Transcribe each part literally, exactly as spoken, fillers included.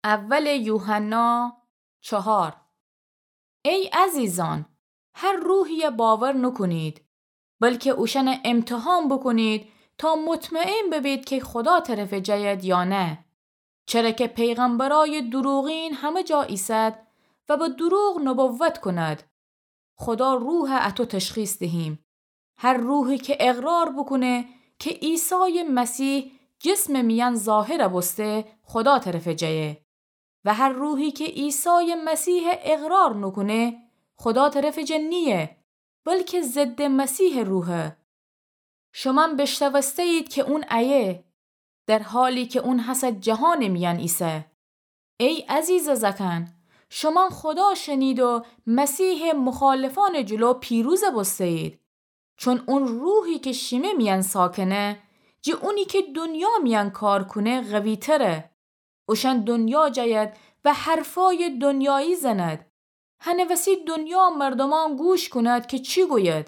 اول یوحنا چهار. ای عزیزان، هر روحیَ باور نوکونید، بلکه اوشأنَ امتحان بوکونید تا مطمئن ببید کی خودا طرفٚ جاید یا نه. چره کی پیغمبرأیٚ دروغین همه جا ایسد و به دروغ نبوت کند. خودا روحَ اطو تشخیص دهیم. هر روحی کی اقرار بوکونه کی عیسایٚ مسیح جسمٚ میأن ظاهر بوسته، خودا طرفٚ جایه. و هر روحی کی عیسایٚ مسیحَ اقرار نوکونه، خودا طرفٚ جا نییه، بلکه ضدٚ مسیحٚ روحه. شومأن بیشنوسته‌یید کی اون ایه، در حالی کی اون هسه جهانٚ میأن ایسه. ای عزیزٚ زأکأن، شومأن خودا شنید و مسیحٚ مخالفأنٚ جلو پیروز بوسته‌یید. چون اون روحی کی شیمه میأن ساکنه، جٚه اونی کی دنیا میأن کار کونه قوی‌تره. اوشأن دنیا جاید و حرفأیٚ دنیایی زند. هنٚ وسی دنیا مردومأن گوش کوند کی چی گوید.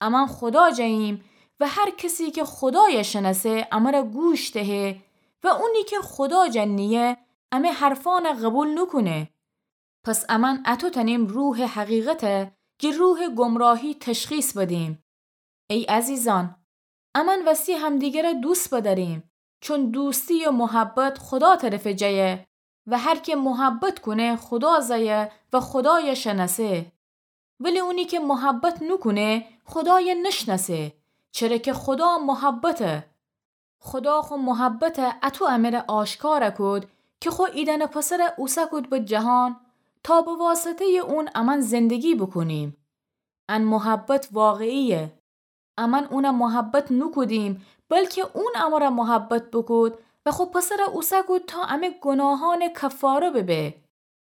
امأن خودا جاییم و هر کسی کی خودایَ شنأسه امرَ گوش دهه و اونی کی خودا جا نییه امه حرفأنَ قوبیل نوکونه. پس امأن اطو تأنیم روحٚ حقیقتَ جٚه روحٚ گمراهی تشخیص بدیم. ای عزیزأن، امأن وستی همدیگرَ دوست بدأریم، چون دوستی و محبت خودا طرفٚ جایه و هر کی محبت کونه خودا زأیه و خودایَ شنأسه. ولی اونی کی محبت نوکونه خودایَ نشنأسه، چره کی خودا محبته. خودا خو محبتَ اطو امره آشکارَ کود کی خو ایدأنٚ پسرَ اوسه کود به جهان تا به واسطه‌یٚ اون امأن زندگی بوکونیم. ان محبت واقعیه. امأن اونَ محبت نوکودیم، بلکی اون امرَ محبت بوکود و خو پسرَ اوسه کود تا امه گوناهأنٚ کفاره ببه.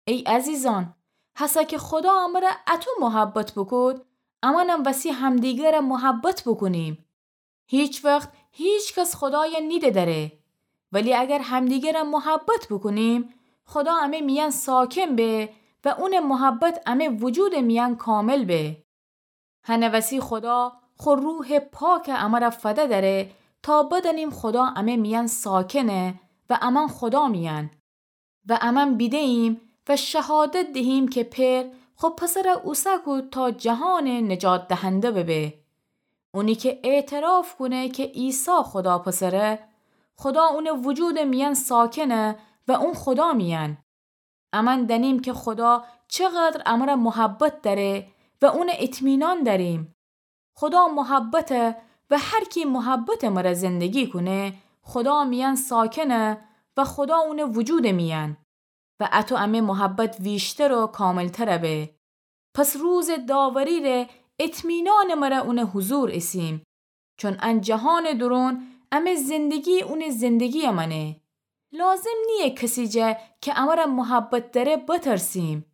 ای عزیزأن، هسه کی خودا امرَ اطو محبت بوکود، امأنم وسی همدیگرَ محبت بوکونیم. هیچ وخت هیچ کس خودایَ نیده دأره. ولی اگر همدیگرَ محبت بوکونیم، خودا امه میأن ساکن به و اونٚ محبت امه وجودٚ میأن کامل به. هنٚ وسی خودا خو روحٚ پاکَ امرَ فده دأره تا بدأنیم خودا امه میأن ساکنه و امأن خودا میأن. و امأن بیده‌ییم و شهادت دهیم کی پئر خو پسرَ اوسه کود تا جهانٚ نجات دهنده ببه. اونی کی اعتراف کونه کی عیسی خودا پسره، خودا اونٚ وجودٚ میأن ساکنه و اون خودا میأن. امأن دأنیم کی خودا چقدر امرَ محبت دأره و اونَ اطمینان دأریم. خودا محبته و هر کی محبتٚ مرأ زندگی کونه، خودا میأن ساکنه و خودا اونٚ وجودٚ میأن. و اطو امه محبت ویشتر و کاملترَ به. پس روزٚ داوری‌ره اطمینانٚ مرأ اونٚ حضور ایسیم. چون ان جهانٚ دورون امه زندگی اونٚ زندگی‌یَ مأنه. لازم نییه کسی جا کی امرَ محبت دأره بترسیم.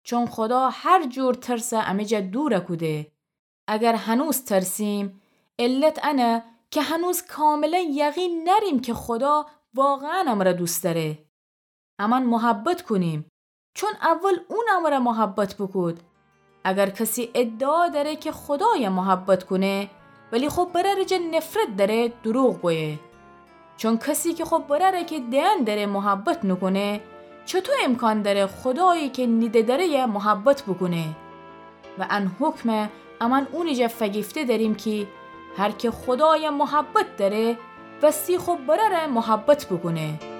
چون خودا هر جور ترسَ امه جا دورَ کوده. اگر هنوز ترسیم، علت انه کی هنوز کاملاً یقین نأریم کی خودا واقعاً امرَ دوست دأره. امأن محبت کونیم، چون اول اون امرَ محبت بوکود. اگر کسی ادعا دأره کی خودایَ محبت کونه، ولی خو برأرٚ جا نفرت دأره، دروغ گویه. چون کسی کی خو برأرَ کی دئن دأره محبت نوکونه، چطو امکان دأره خودایی کی نیده دأره‌یَ محبت بوکونه؟ و ان حکمَ امأن اونٚ جا فگیفته دأریم کی هر کی خودایَ محبت دأره، وستی خو برأرَ محبت بوکونه.